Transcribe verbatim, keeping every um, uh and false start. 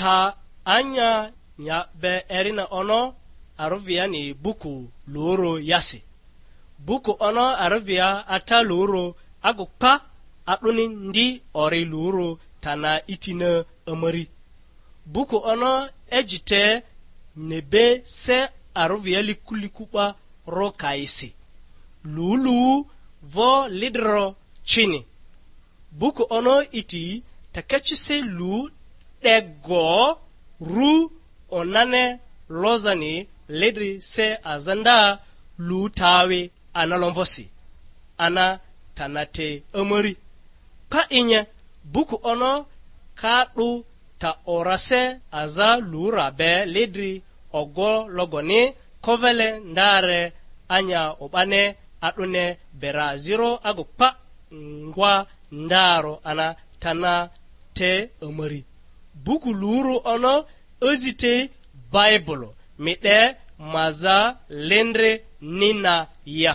Ta anya nya be erina ono arᴜviani buku luru yasi. Buku ono arᴜvia ata luru agu kpa, a'duni ndi ori luru tana itina amari. Buku ono ejite nebe se arᴜvia liku liku 'ba ro kaisi. Lulu vo lidro cini. Buku ono iti takecisi lu 'dego ru onane lozani lidri se aza nda lu tawi ana lomvosi, ana tanate amari. Pa inye buku ono ka 'du ta orase aza lura be lidri ogo logoni kovele ndare anya o'bane a'dune bera ziro agu pa ngwa ndaro ana tana te amari. Buku luru ono azite Baibulu mi 'de maza lendre nina ya.